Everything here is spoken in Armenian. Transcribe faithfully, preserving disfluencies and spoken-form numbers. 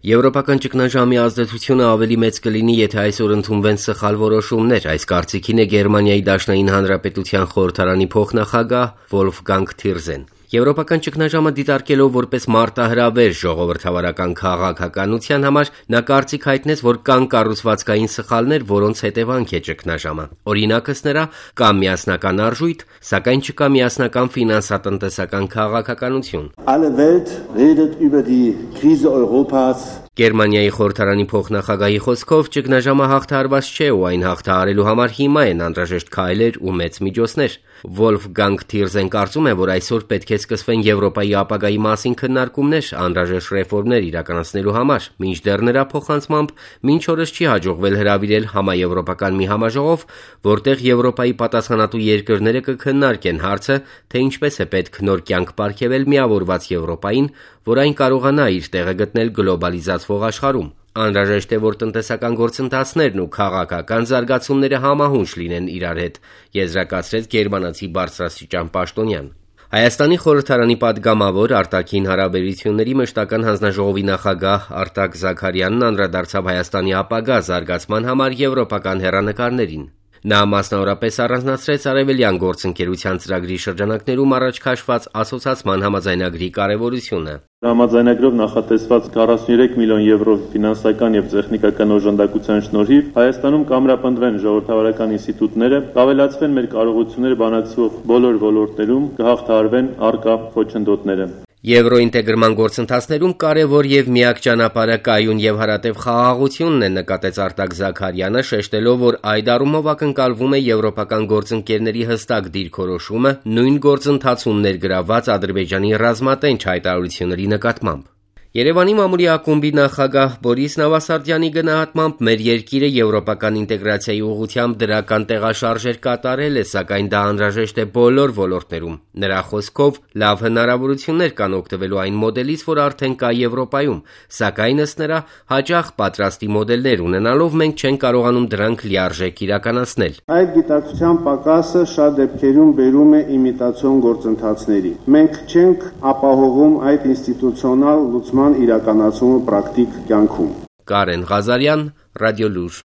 Եվրոպական ճգնաժամի ազդեցությունը ավելի մեծ կլինի, եթե այսօր ընդունվեն սխալ որոշումներ, այս կարծիքին է Գերմանիայի Դաշնային Հանրապետության խորհրդարանի փոխնախագահ Վոլֆգանգ Թիրզեն։ Եվրոպական ճգնաժամը դիտարկելով որպես մարտահրավեր ժողովրդավարական քաղաքականության համար, նա կարծիք հայտնեց, որ կան կառուցվածքային սխալներ, որոնց հետևանք է ճգնաժամը։ Օրինակս նրա կա միասնական արժույթ, սակայն չկա միասնական ֆինանսատնտեսական քաղաքականություն։ Alle Welt redet über die Krise Europas. Գերմանիայի խորհրդարանի փոխնախագահի խոսքով ճգնաժամը հաղթահարված չէ ու այն հաղթահարելու համար հիմա են անհրաժեշտ քայլեր ու մեծ միջոցներ։ Վոլֆգանգ Թիրզեն կարծում է, որ այսօր պետք է սկսվեն Եվրոպայի ապագայի մասին քննարկումներ անհրաժեշտ ռեֆորմներ իրականացնելու համար, մինչդեռ նրա փոխանցմամբ մինչ օրս չի հաջողվել հրավիրել համաեվրոպական մի համաժողով, որտեղ Եվրոպայի պատասխանատու երկրները կքննարկեն հարցը, թե ինչպես է պետք նոր կյանք պարգևել միավորված Եվրոպային, որ այն կարողանա իր տեղը գտնել գլոբալիզացվող աշխարհում։ Անհրաժեշտ է, որ տնտեսական գործընթացներն ու քաղաքական զարգացումները համահունչ լինեն իրար հետ, եզրակացրեց գերմանացի բարձրաստիճան պաշտոնյան։ Հայաստանի խորհրդարանի падգամավոր արտաքին հարաբերությունների մշտական հանձնաժողովի նախագահ Արտակ Զաքարյանն անդրադարձավ Հայաստանի ապագա զարգացման համար եվրոպական հեռանկարներին։ Նա մասնավորապես առանձնացրեց արևելյան գործընկերության ծրագրի շրջանակներում առաջ քաշված ասոցացման համաձայնագրի կարևորությունը։ Համաձայնագրով նախատեսված քառասունուերեք միլիոն եվրո ֆինանսական եւ տեխնիկական օժանդակության շնորհիվ Հայաստանում կամրապնդվեն ժողովրդավարական ինստիտուտները, կավելացվեն մեր կարողությունները բանակցվող բոլոր ոլորտներում, կհաղթահարվեն առկա խոչընդոտները։ Եվրոինտեգրման գործընթացներում կարևոր եւ միակ ճանապարհը կայուն եւ հարատեւ խաղաղությունն է, նկատեց Արտակ Զաքարյանը, շեշտելով, որ այդ առումով ակնկալվում է եվրոպական գործընկերների հստակ դիրքորոշումը նույն գործընթացում ներգրավված Ադրբեջանի ռազմատենչ հայտարարությունների նկատմամբ։ Երևանի մամուլի ակումբի նախագահ Բորիս Նավասարդյանի գնահատմամբ մեր երկիրը եվրոպական ինտեգրացիայի ուղղությամբ դրական տեղաշարժեր կատարել է, սակայն դա անհրաժեշտ է բոլոր ոլորտներում։ Նրա խոսքով լավ հնարավորություններ կան օգտվելու այն մոդելից, որ արդեն կա Եվրոպայում, սակայն ըստ նրա հաճախ պատրաստի մոդելներ ունենալով մենք չենք կարողանում դրանք լիարժեք իրականացնել։ Այդ գիտակցության պակասը շատ դեպքերում բերում է իմիտացիոն գործընթացների։ Մենք չենք ապահովում այդ ինստիտուցիոնալ լուծման իրականացումը պրակտիկ կյանքում։ Կարեն Ղազարյան, Ռադիոլուր։